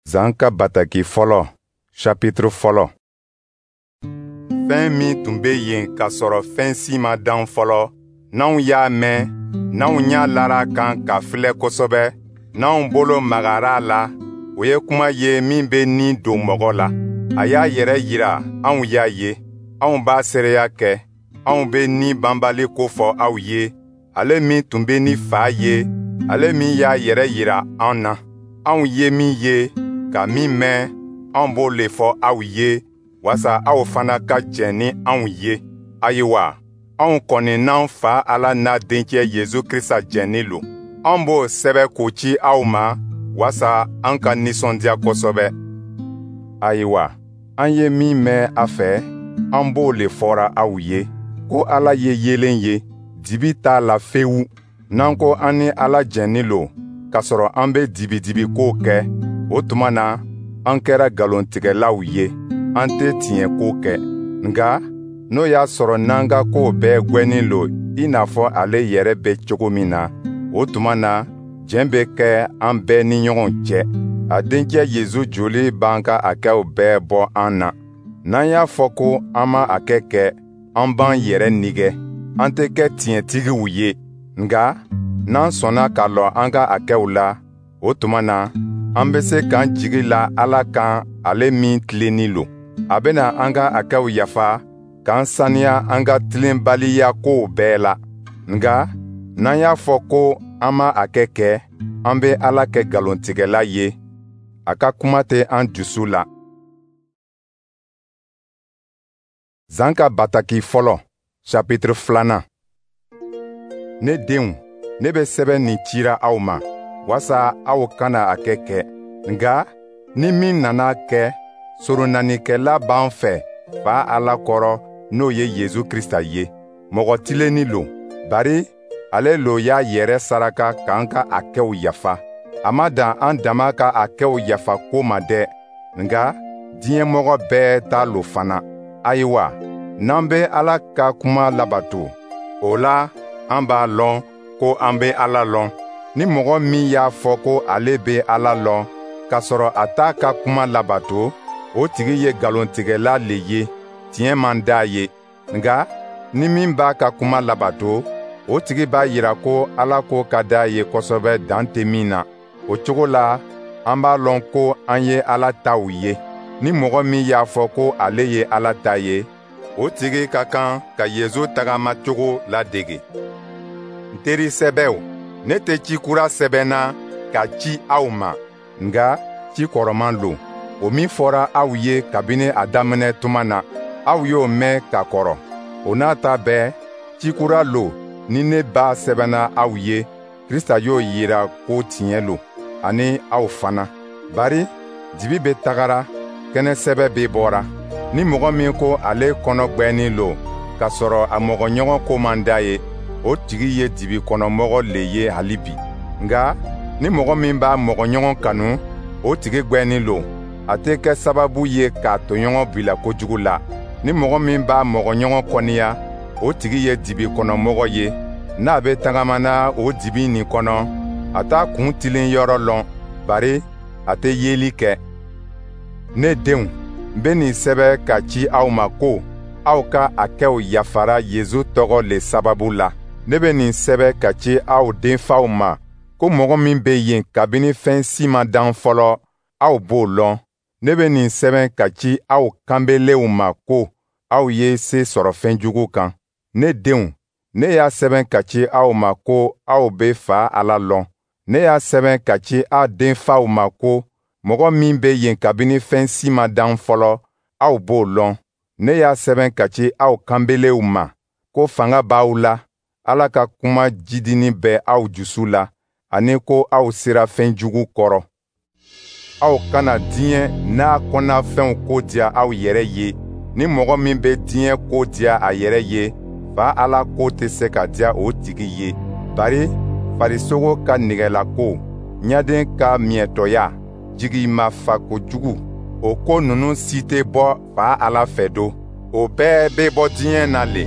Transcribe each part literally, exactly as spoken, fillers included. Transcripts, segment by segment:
Zan ka bataki fɔlɔ, chapitre fɔlɔ. Fɛn min tun bɛ yen k'a sɔrɔ fɛn si ma dan fɔlɔ, n'anw y'a mɛn, n'anw ɲɛ lara a kan k'a filɛ kosɛbɛ, n'anw bolo magara a la, o ye kuma ye min bɛ ni don mɔgɔ la. A y'a yɛrɛ yira, anw y'a ye, anw b'a seereya kɛ, anw bɛ ni banbali ko fɔ aw ye, ale min tun bɛ ni Fa ye, ale min y'a yɛrɛ yira an na. Anw ye min ye, ka min mɛn, anw b'o le fɔ aw ye, walasa aw fana ka jɛn ni anw ye. Ayiwa, anw kɔni n'an Fa Ala n'a Dencɛ Yezu Krista jɛnnin lo. An b'o sɛbɛ k'o ci aw ma, walasa an ka nisɔndiya kosɛbɛ. Ayiwa, an ye min mɛn a fɛ, an b'o le fɔra aw ye, ko Ala ye yeelen ye, dibi t'a la fewu. N'an ko an ni Ala jɛnnin lo, k'a sɔrɔ an bɛ dibidibikow kɛ, o tuma na an kɛra nkalontigɛlaw ye, an tɛ tiɲɛ ko kɛ. Nka n'o y'a sɔrɔ n'an ka kow bɛɛ gwɛnnen lo i n'a fɔ ale yɛrɛ bɛ cogo min na, o tuma na jɛn bɛ kɛ an bɛɛ ni ɲɔgɔn cɛ. A dencɛ Yezu joli b'an ka hakɛw bɛɛ bɔ an na. N'an y'a fɔ ko an ma hakɛ kɛ, an b'an yɛrɛ nigɛ, an tɛ kɛ tiɲɛtigiw ye. Nka n'an sɔnna ka lɔ an ka hakɛw la, o tuma na an bɛ se k'an jigi la Ala kan, ale min tilennin lo. A bɛna an ka hakɛw yafa k'an saniya an ka tilenbaliya kow bɛɛ la. Nka n'an y'a fɔ ko an ma hakɛ kɛ, an bɛ Ala kɛ nkalontigɛla ye, a ka kuma tɛ an dusu la. Zan ka bataki fɔlɔ, chapitre filanan. Ne denw, ne bɛ sɛbɛn nin cira aw ma, walasa aw kana hakɛ kɛ. Nka ni min nana kɛ, soronanikɛla b'an fɛ Fa Ala kɔrɔ, n'o ye Yezu Krista ye. Mɔgɔ tilennin lo, bari ale lo y'a yɛrɛ saraka k'an ka hakɛw yafa. A ma dan an dama ka hakɛw yafa ko ma dɛ, nka diɲɛmɔgɔ bɛɛ ta lo fana. Ayiwa, n'an bɛ Ala ka kuma labato, o la an b'a lɔn ko an bɛ Ala lɔn. Ni mɔgɔ min y'a fɔ ko ale bɛ Ala lɔn, k'a sɔrɔ a t'a ka kuma labato, o tigi ye nkalontigɛla le ye, tiɲɛ man d'a ye. Nka ni min b'a ka kuma labato, o tigi b'a yira ko Ala ko ka d'a ye kosɛbɛ dan tɛ min na. O cogo la, an b'a lɔn ko an ye Ala taw ye. Ni mɔgɔ min y'a fɔ ko ale ye Ala ta ye, o tigi ka kan ka Yezu tagamacogo ladege. N teri sɛbɛw, ne tɛ ci kura sɛbɛnna ka ci aw ma, nka ci kɔrɔman lo, o min fɔra aw ye kabini a daminɛ tuma na, aw y'o mɛn ka kɔrɔ. O n'a ta bɛɛ, ci kura lo ni ne b'a sɛbɛnna aw ye, Krista y'o yira ko tiɲɛ lo, ani aw fana. Bari dibi bɛ tagara, kɛnɛ sɛbɛ bɛ bɔra. Ni mɔgɔ min ko ale kɔnɔ gwɛnnin lo, k'a sɔrɔ a mɔgɔɲɔgɔn ko man d'a ye, o tigi ye dibi kɔnɔmɔgɔ le ye hali bi. Nka ni mɔgɔ min b'a mɔgɔɲɔgɔn kanu, o tigi gwɛnnin lo, a tɛ kɛ sababu ye k'a tɔɲɔgɔn bila kojugu la. Ni mɔgɔ min b'a mɔgɔɲɔgɔn kɔniya, o tigi ye dibi kɔnɔmɔgɔ ye. N'a bɛ tagamana o dibi nin kɔnɔ, a t'a kun tilen yɔrɔ lɔn, bari a tɛ yeli kɛ. Ne denw, n bɛ nin sɛbɛn ka ci aw ma ko aw ka hakɛw yafara Yezu tɔgɔ le sababu la. Ne bɛ nin sɛbɛn ka ci aw denfaw ma ko mɔgɔ min bɛ yen kabini fɛn si ma dan fɔlɔ, aw b'o lɔn. Ne bɛ nin sɛbɛn ka ci aw kanbelenw ma ko aw ye se sɔrɔ fɛn jugu kan. Ne denw, ne y'a sɛbɛn ka ci aw ma ko aw bɛ Fa Ala lɔn. Ne y'a sɛbɛn ka ci aw denfaw ma ko mɔgɔ min bɛ yen kabini fɛn si ma dan fɔlɔ, aw b'o lɔn. Ne y'a sɛbɛn ka ci aw kanbelenw ma ko fanga b'aw la, Ala ka kuma jidini bɛ aw dusu la, ani ko aw sera fɛn jugu kɔrɔ. Aw kana diɲɛ n'a kɔnɔnafɛnw ko diya aw yɛrɛ ye. Ni mɔgɔ min bɛ diɲɛ ko diya a yɛrɛ ye, Fa Ala ko tɛ se ka diya o tigi ye. Bari farisogo ka nɛgɛlako, ɲaden ka miɲɛtɔya, jigimafa kojugu, o ko ninnu si tɛ bɔ Fa Ala fɛ don. O bɛɛ bɛ bɔ diɲɛ na le.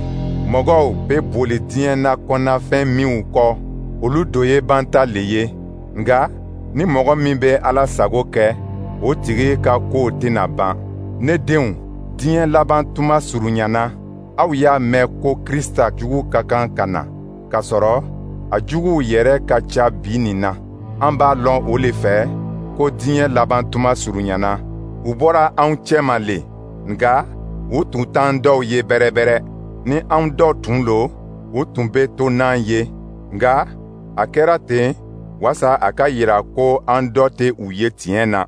Mɔgɔw bɛ boli diɲɛ na kɔnɔnafɛn minw kɔ, olu do ye banta le ye. Nka ni mɔgɔ min bɛ Ala sago kɛ, o tigi ka kow tɛna ban. Ne denw, diɲɛ laban tuma surunyana. Aw y'a mɛn ko Krista jugu ka kan ka na, kasɔrɔ a juguw yɛrɛ ka ca bi nin na. An b'a lɔn o le fɛ ko diɲɛ laban tuma surunyana. U bɔra anw cɛma le, nka u tun t'an dɔw ye bɛrɛbɛrɛ. Ni anw dɔ tun lo, u tun bɛ to n'an ye. Nka a kɛra ten walasa a ka yira ko an dɔ tɛ u ye tiɲɛ na.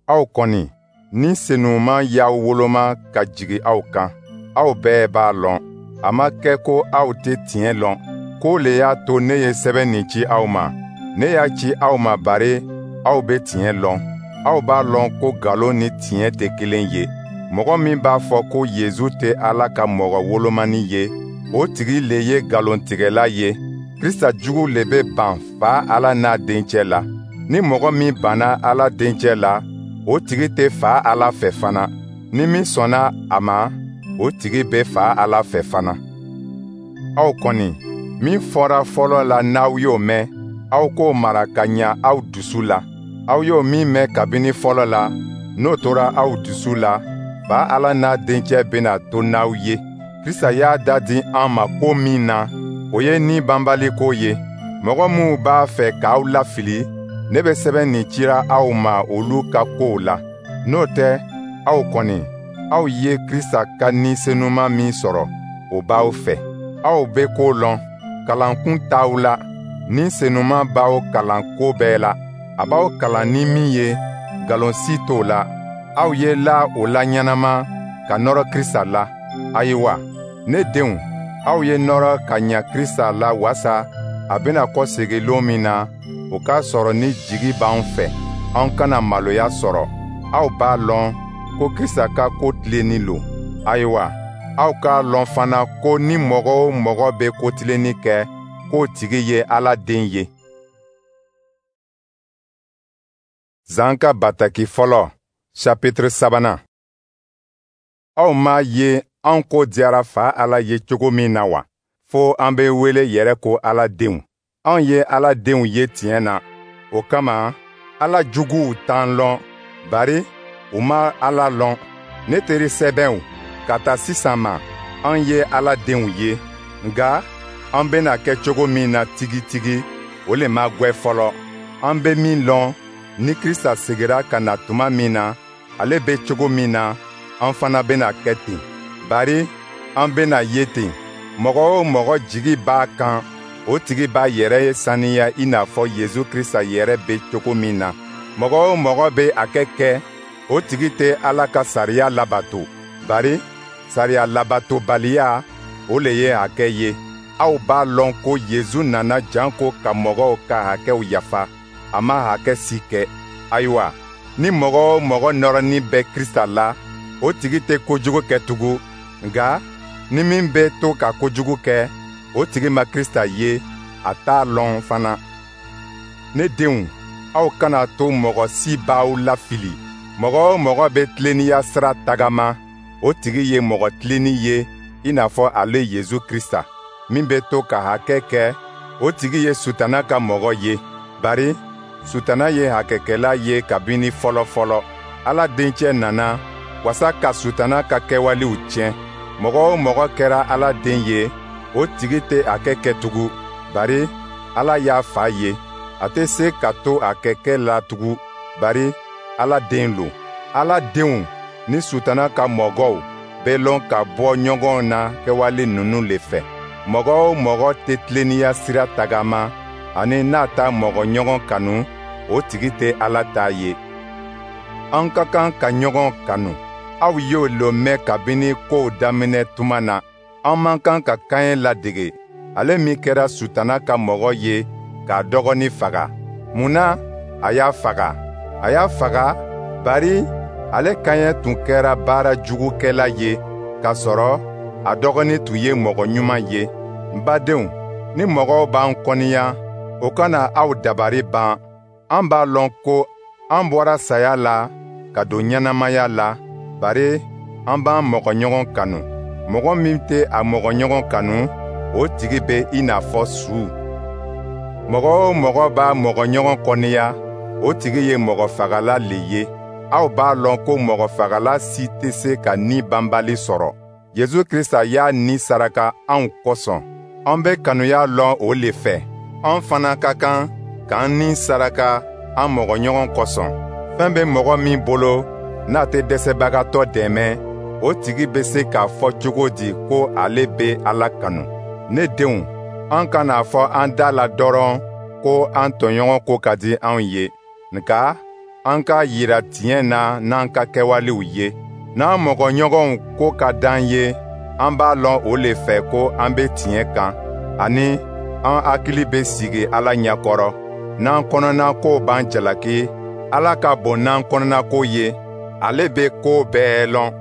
Aw kɔni, Ni Senuman y'aw woloma ka jigin aw kan, aw bɛɛ b'a lɔn. A ma kɛ ko aw tɛ tiɲɛ lɔn. K'o le y'a to ne ye sɛbɛn nin ci aw ma. Ne y'a ci aw ma bari aw bɛ tiɲɛ lɔn. Aw b'a lɔn ko nkalon ni tiɲɛ tɛ kelen ye. Mɔgɔ min b'a fɔ ko Yezu tɛ Ala ka mɔgɔ wolomani ye, o tigi le ye nkalontigɛla ye. Krista jugu le bɛ ban Fa Ala n'a Dencɛ la. Ni mɔgɔ min banna Ala Dencɛ la, o tigi tɛ Fa Ala fɛ fana. Ni min sɔnna a ma, o tigi bɛ Fa Ala fɛ fana. Aw kɔni, min fɔra fɔlɔ la n'aw y'o mɛn, aw k'o mara ka ɲa aw dusu la. Aw y'o min mɛn kabini fɔlɔ la, n'o tora aw dusu la, Fa Ala n'a Dencɛ bɛna to n'aw ye. Krista y'a da di an ma ko min na, o ye ni banbali ko ye. Mɔgɔ minw b'a fɛ k'aw lafili, ne bɛ sɛbɛn nin cira aw ma olu ka kow la. N'o tɛ, aw kɔni, aw ye Krista ka Ni Senuman min sɔrɔ, o b'aw fɛ. Aw bɛ ko lɔn, kalankun t'aw la. Ni Senuman b'aw kalan ko bɛɛ la. A b'aw kalan ni min ye, nkalon si t'o la. Aw ye la o la ɲɛnama ka nɔrɔ Krista la. Ayiwa, ne denw, aw ye nɔrɔ ka ɲa Krista la wasa a bɛna kɔsegin lon min na, o k'a sɔrɔ ni jigi b'an fɛ, an kana maloya sɔrɔ. Aw b'a lɔn ko Krista ka ko tilennin lo. Ayiwa, aw k'a lɔn fana ko ni mɔgɔ o mɔgɔ bɛ ko tilennin kɛ, k'o tigi ye Ala den ye. Zan ka bataki fɔlɔ, chapitre sabanan. Aw m'a ye an ko diyara Fa Ala ye cogo min na wa, fo an bɛ wele yɛrɛ ko Ala denw. Anw ye Ala denw ye tiɲɛ na. O kama, Ala juguw t'an lɔn, bari u ma Ala lɔn. Ne teri sɛbɛnw, ka ta sisan ma, an ye Ala denw ye, nka an bɛna kɛ cogo min na tigitigi, o le ma gwɛ fɔlɔ. An bɛ min lɔn, ni Krista segira ka na tuma min na, ale bɛ cogo min na, an fana bɛna kɛ ten. Bari an bɛna ye ten. Mɔgɔ o mɔgɔ jigi b'a kan, o tigi b'a yɛrɛ saniya i n'a fɔ Yezu Krista yɛrɛ bɛ cogo min na. Mɔgɔ o mɔgɔ bɛ hakɛ kɛ, o tigi tɛ Ala ka sariya labato. Bari sariya labatobaliya, o le ye hakɛ ye. Aw b'a lɔn ko Yezu nana janko ka mɔgɔw ka hakɛw yafa. A ma hakɛ si kɛ. Ayiwa, ni mɔgɔ o mɔgɔ nɔrɔnin bɛ Krista la, o tigi tɛ kojugu kɛ tugun. Nka ni min bɛ to ka kojugu kɛ, o tigi ma Krista ye, a t'a lɔn fana. Ne denw, aw kana to mɔgɔ si b'aw lafili. Mɔgɔ o mɔgɔ bɛ tilennenya sira tagama, o tigi ye mɔgɔ tilennin ye i n'a fɔ ale Yezu Krista. Min bɛ to ka hakɛ kɛ, o tigi ye Sutana ka mɔgɔ ye. Bari Sutana ye hakɛkɛla ye kabini fɔlɔ-fɔlɔ. Ala Dencɛ nana wasa ka Sutana ka kɛwalew tiɲɛ. Mɔgɔ o mɔgɔ kɛra Ala den ye, o tigi tɛ hakɛ kɛ tugun, bari Ala y'a fa ye. A tɛ se ka to hakɛkɛ la tugun, bari Ala den lo. Ala denw ni Sutana ka mɔgɔw bɛ lɔn ka bɔ ɲɔgɔn na kɛwale ninnu le fɛ. Mɔgɔ o mɔgɔ tɛ tilennenya sira tagama, ani n'a t'a mɔgɔ ɲɔgɔn kanu, o tigi tɛ Ala ta ye. An ka kan ka ɲɔgɔn kanu. Aw y'o lo mɛn kabini kow daminɛ tuma na. An man kan ka Kaɲɛ ladege, ale min kɛra Sutana ka mɔgɔ ye k'a dɔgɔnin faga. Mun na a y'a faga? A y'a faga bari ale Kaɲɛ tun kɛra baara jugukɛla ye, k'a sɔrɔ a dɔgɔnin tun ye mɔgɔ ɲuman ye. N badenw, ni mɔgɔw b'an kɔniya, o kana aw dabari ban. An b'a lɔn ko an bɔra saya la ka don ɲɛnamaya la, bari an b'an mɔgɔɲɔgɔn kanu. Mɔgɔ min tɛ a mɔgɔɲɔgɔn kanu, o tigi bɛ i n'a fɔ su. Mɔgɔ o mɔgɔ b'a mɔgɔɲɔgɔn kɔniya, o tigi ye mɔgɔfagala le ye. Aw b'a lɔn ko mɔgɔfagala si tɛ se ka ni banbali sɔrɔ. Yezu Krista y'a ni saraka anw kosɔn. An bɛ kanuya lɔn o le fɛ. An fana ka kan k'an ni saraka an mɔgɔɲɔgɔn kosɔn. Fɛn bɛ mɔgɔ min bolo n'a tɛ dɛsɛbagatɔ dɛmɛ, o tigi bɛ se k'a fɔ cogo di ko ale bɛ Ala kanu? Ne denw, an kana fɔ an da la dɔrɔn ko an tɔɲɔgɔn ko ka di anw ye, nka an k'a yira tiɲɛ na n'an ka kɛwalew ye. N'an mɔgɔɲɔgɔnw ko ka d'an ye, an b'a lɔn o le fɛ ko an bɛ tiɲɛ kan, ani an hakili bɛ sigi Ala ɲɛkɔrɔ. N'an kɔnɔnakow b'an jalaki, Ala ka bon n'an kɔnɔnako ye, ale bɛ ko bɛɛ lɔn.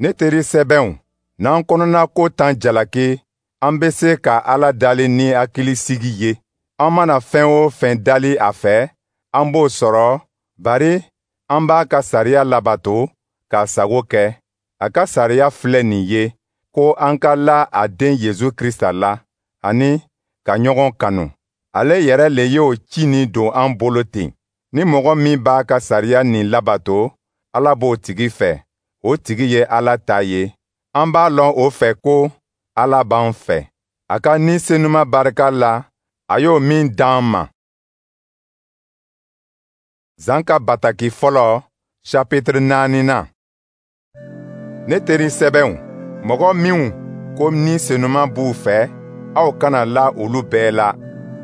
Ne teri sɛbɛnw, n'an kɔnɔnako t'an jalaki, an bɛ se ka Ala dali ni hakilisigi ye. An mana fɛn o fɛn dali a fɛ, an b'o sɔrɔ, bari an b'a ka sariya labato k'a sago kɛ. A ka sariya filɛ nin ye, ko an ka la a den Yezu Krista la, ani ka ɲɔgɔn kanu. Ale yɛrɛ le y'o ci nin don an bolo ten. Ni mɔgɔ min b'a ka sariya nin labato, Ala b'o tigi fɛ, o tigi ye Ala ta ye. An b'a lɔn o fɛ ko Ala b'an fɛ. A ka Ni Senuma barika la, a y'o min d'an ma. Zan ka bataki fɔlɔ, chapitre naaninan. Ne teri sɛbɛnw, mɔgɔ minw ko Ni Senuma b'u fɛ, aw kana la olu bɛɛ la,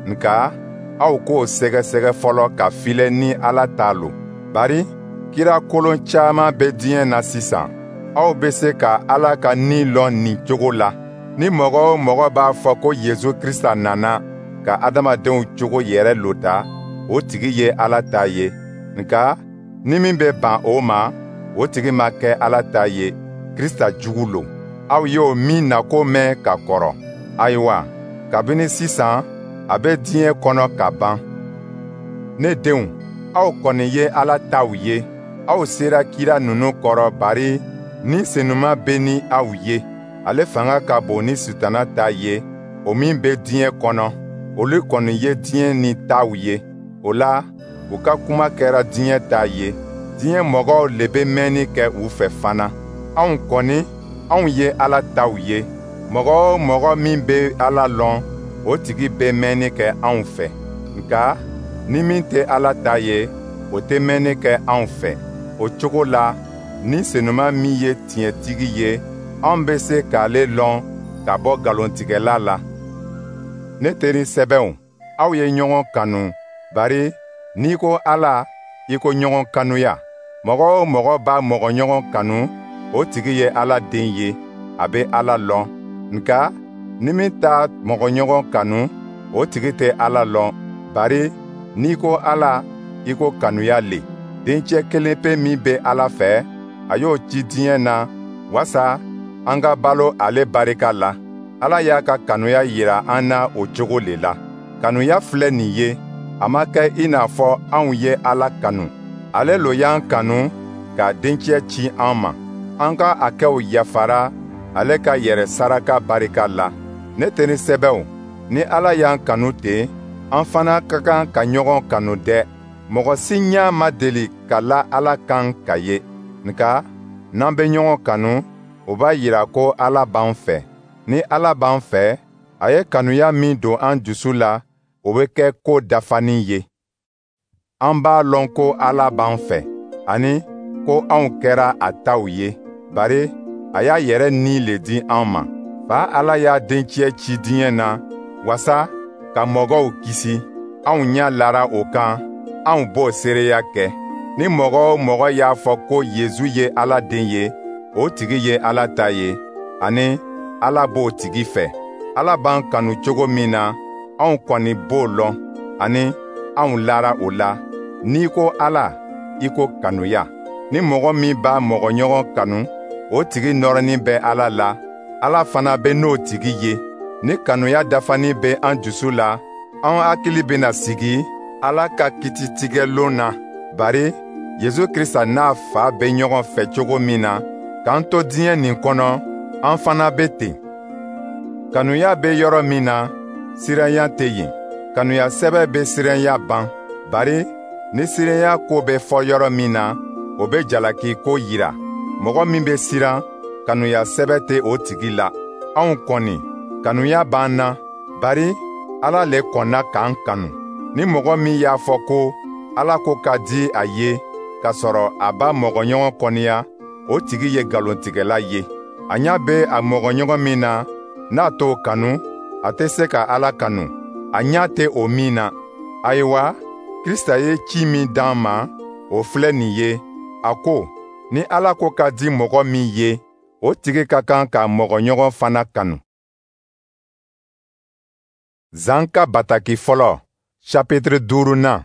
nka aw k'o sɛgɛsɛgɛ fɔlɔ ka filɛ ni Ala ta lo. Bari kira kolon caman bɛ diɲɛ na sisan. Aw bɛ se ka Ala ka Ni lɔn nin cogo la. Ni mɔgɔ o mɔgɔ b'a fɔ ko Yezu Krista nana ka adamadenw cogo yɛrɛ lota, o tigi ye Ala ta ye. Nka ni min bɛ ban o ma, o tigi ma kɛ Ala ta ye, Krista jugu lo. Aw y'o min nako mɛn ka kɔrɔ. Ayiwa, kabini sisan, a bɛ diɲɛ kɔnɔ ka ban. Ne denw, aw kɔni ye Ala taw ye. Aw sera kira ninnu kɔrɔ, bari Ni Senuma bɛ ni aw ye. Ale fanga ka bon ni Sitana ta ye, o min bɛ diɲɛ kɔnɔ. Olu kɔni ye diɲɛ ni taw ye. O la, u ka kuma kɛra diɲɛ ta ye. Diɲɛ mɔgɔw le bɛ mɛnni kɛ u fɛ fana. Anw kɔni, anw ye Ala taw ye. Mɔgɔ o mɔgɔ min bɛ Ala lɔn, o tigi bɛ mɛnni kɛ anw fɛ. Nka ni min tɛ Ala ta ye, o tɛ mɛnni kɛ anw fɛ. O cogo la, Ni Senuma min ye tiɲɛtigi ye, an bɛ se k'ale lɔn ka bɔ nkalontigɛla la. Ne teri sɛbɛnw, aw ye ɲɔgɔn kanu, bari n'i ko Ala, i ko ɲɔgɔn kanuya. Mɔgɔ o mɔgɔ b'a mɔgɔɲɔgɔn kanu, o tigi ye Ala den ye, a bɛ Ala lɔn. Nka ni min t'a mɔgɔɲɔgɔn kanu, o tigi tɛ Ala lɔn, bari n'i ko Ala, i ko kanuya le. Dencɛ kelen pe min bɛ Ala fɛ, a y'o ci diɲɛ na wasa an ka balo ale barika la. Ala y'a ka kanuya yira an na o cogo le la. Kanuya filɛ nin ye, a ma kɛ i n'a fɔ anw ye Ala kanu. Ale lo y'an kanu k'a dencɛ ci an ma. An ka hakɛw yafara ale ka yɛrɛ saraka barika la. Ne teri sɛbɛw, ni Ala y'an kanu ten, an fana ka kan ka ɲɔgɔn kanu dɛ. Mɔgɔ si ɲɛ ma deli ka la Ala kan ka ye. Nka n'an bɛ ɲɔgɔn kanu, o b'a yira ko Ala b'an fɛ. Ni Ala b'an fɛ, a ye kanuya min don an dusu la, o bɛ kɛ ko dafanin ye. An b'a lɔn ko Ala b'an fɛ, ani ko anw kɛra a taw ye, bari a y'a yɛrɛ ni le di an ma. Fa Ala y'a dencɛ ci diɲɛ na wasa ka mɔgɔw kisi. Anw ɲɛ lara o kan, anw b'o seereya kɛ. Ni mɔgɔ o mɔgɔ y'a fɔ ko Yezu ye Ala den ye, o tigi ye Ala ta ye, ani Ala b'o tigi fɛ. Ala b'an kanu cogo min na, anw kɔni b'o lɔn, ani anw lara o la. N'i ko Ala, i ko kanuya. Ni mɔgɔ min b'a mɔgɔɲɔgɔn kanu, o tigi nɔrɔnin bɛ Ala la, Ala fana bɛ n'o tigi ye. Ni kanuya dafanin bɛ an dusu la, an hakili bɛna sigi Ala ka kititigɛlon na, bari Yezu Krista n'a Fa bɛ ɲɔgɔn fɛ cogo min na, k'an to diɲɛ nin kɔnɔ, an fana bɛ ten. Kanuya bɛ yɔrɔ min na, siranya tɛ yen. Kanuya sɛbɛ bɛ siranya ban, bari Ni siranya ko bɛ fɔ yɔrɔ min na, o bɛ jalaki ko yira. Mɔgɔ min bɛ siran, kanuya sɛbɛ tɛ o tigi la. Anw kɔni, kanuya b'an na, bari Ala le kɔnna k'an kanu. Ni mɔgɔ min y'a fɔ ko Ala ko ka di a ye, k'a sɔrɔ a b'a mɔgɔɲɔgɔn kɔniya, o tigi ye nkalontigɛla ye. A ɲɛ bɛ a mɔgɔɲɔgɔn min na, n'a t'o kanu, a tɛ se ka Ala kanu, a ɲɛ tɛ o min na. Ayiwa, Krista ye ci min d'an ma, o filɛ nin ye: a ko, ni Ala ko ka di mɔgɔ min ye, o tigi ka kan k'a mɔgɔɲɔgɔn fana kanu. Zan ka bataki fɔlɔ, chapitre duurunan.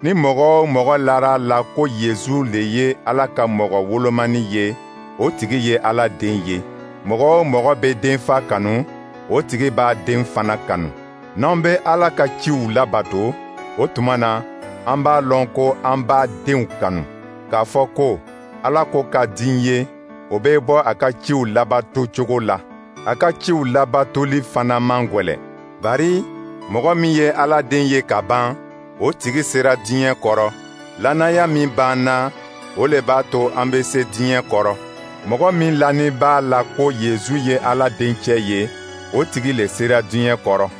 Ni mɔgɔ o mɔgɔ lara a la ko Yezu le ye Ala ka mɔgɔ wolomani ye, o tigi ye Ala den ye. Mɔgɔ o mɔgɔ bɛ denfa kanu, o tigi b'a den fana kanu. N'an bɛ Ala ka ciw labato, o tuma na, an b'a lɔn ko an b'a denw kanu. K'a fɔ ko Ala ko ka di n ye, o bɛ bɔ a ka ciw labato cogo la. A ka ciw labatoli fana man gwɛlɛn. Bari mɔgɔ min ye Ala den ye ka ban, o tigi sera diɲɛ kɔrɔ. Lannaya min b'an na, o le b'a to an bɛ se diɲɛ kɔrɔ. Mɔgɔ min lanin b'a la ko Yezu ye Ala dencɛ ye, o tigi le sera diɲɛ kɔrɔ.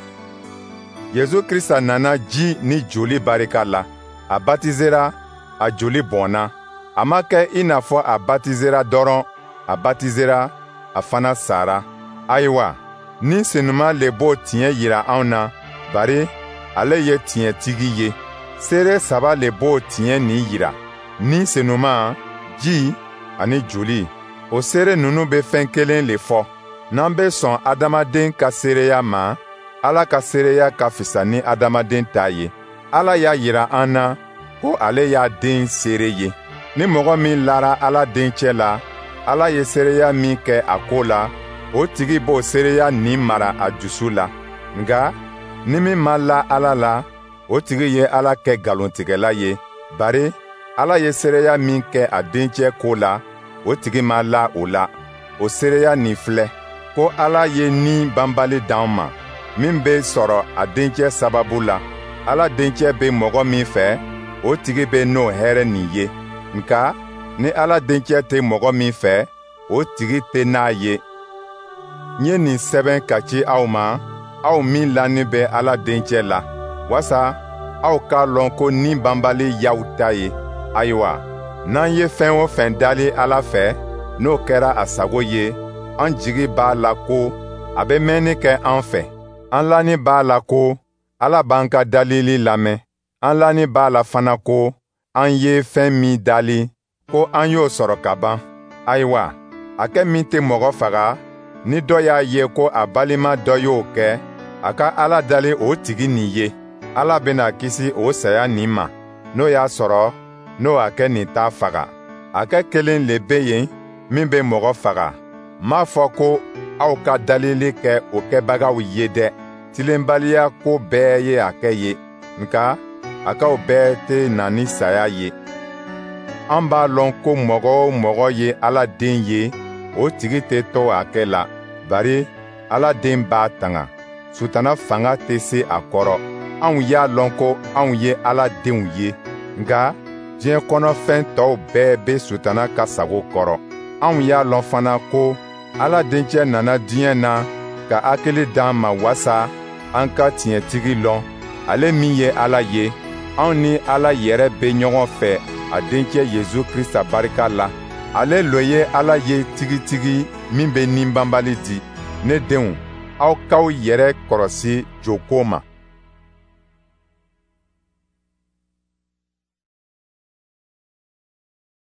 Yezu Krista nana ji ni joli barika la. A batizera, a joli bɔnna. A ma kɛ i n'a fɔ a batizera dɔrɔn, a batizera, a fana sara. Ayiwa, ni Senuma le b'o tiɲɛ yira anw na, bari ale ye tiɲɛtigi ye. Seere saba le b'o tiɲɛ nin yira: Ni Senuma, ji ani joli. O seere ninnu bɛ fɛn kelen le fɔ. N'an bɛ sɔn adamaden ka seereya ma, Ala ka seereya ka fisa ni adamaden ta ye. Ala y'a yira an na ko ale y'a den seere ye. Ni mɔgɔ min lara Ala dencɛ la, Ala ye seereya min kɛ a ko la, o tigi b'o seereya nin mara a dusu la. Nka ni min ma la Ala la, o tigi ye Ala kɛ nkalontigɛla ye, bari Ala ye seereya min kɛ a dencɛ ko la, o tigi ma la o la. O seereya nin filɛ, ko Ala ye ni banbali d'an ma, min bɛ sɔrɔ a dencɛ sababu la. Ala dencɛ bɛ mɔgɔ min fɛ, o tigi bɛ n'o hɛrɛ nin ye. Nka ni Ala dencɛ tɛ mɔgɔ min fɛ, o tigi tɛ n'a ye. N ye nin sɛbɛn ka ci aw ma, aw min lanin bɛ Ala dencɛ la, wasa aw k'a lɔn ko ni banbali y'aw ta ye. Ayiwa, n'an ye fɛn o fɛn dali Ala fɛ, n'o kɛra a sago ye, an jigi b'a la ko a bɛ mɛnni kɛ an fɛ. An lanin b'a la ko Ala b'an ka dalili lamɛn. An lanin b'a la fana ko an ye fɛn min dali, ko an y'o sɔrɔ ka ban. Ayiwa, a kɛ min tɛ mɔgɔ faga, ni dɔ y'a ye ko a balima dɔ y'o kɛ, a ka Ala dali o tigi nin ye. Ala bɛna kisi o saya nin ma, n'o y'a sɔrɔ n'o a kɛ nin t'a faga. A kɛ kelen le bɛ yen min bɛ mɔgɔ faga. N m'a fɔ ko aw ka dalili kɛ o kɛbagaw ye dɛ. Tilenbaliya ko bɛɛ ye a kɛ ye, nka a k'aw bɛɛ tɛ na ni saya ye. An b'a lɔn ko mɔgɔ o mɔgɔ ye Ala den ye, o tigi tɛ to a kɛ la, bari Ala den b'a tanga. Sutana fanga tɛ se a kɔrɔ. Anw y'a lɔn ko anw ye Ala denw ye, nka diɲɛ kɔnɔfɛn tɔw bɛɛ bɛ Sutana ka sago kɔrɔ. Anw y'a lɔn fana ko Ala dencɛ nana diɲɛ na ka hakili d'an ma wasa an ka tiɲɛtigi lɔn, ale min ye Ala ye. Anw ni Ala yɛrɛ bɛ ɲɔgɔn fɛ a dencɛ Yezu Krista barika la. Ale lo ye Ala ye tigitigi min bɛ ni banbali di. Ne denw, aw k'aw yɛrɛ kɔrɔsi joko ma.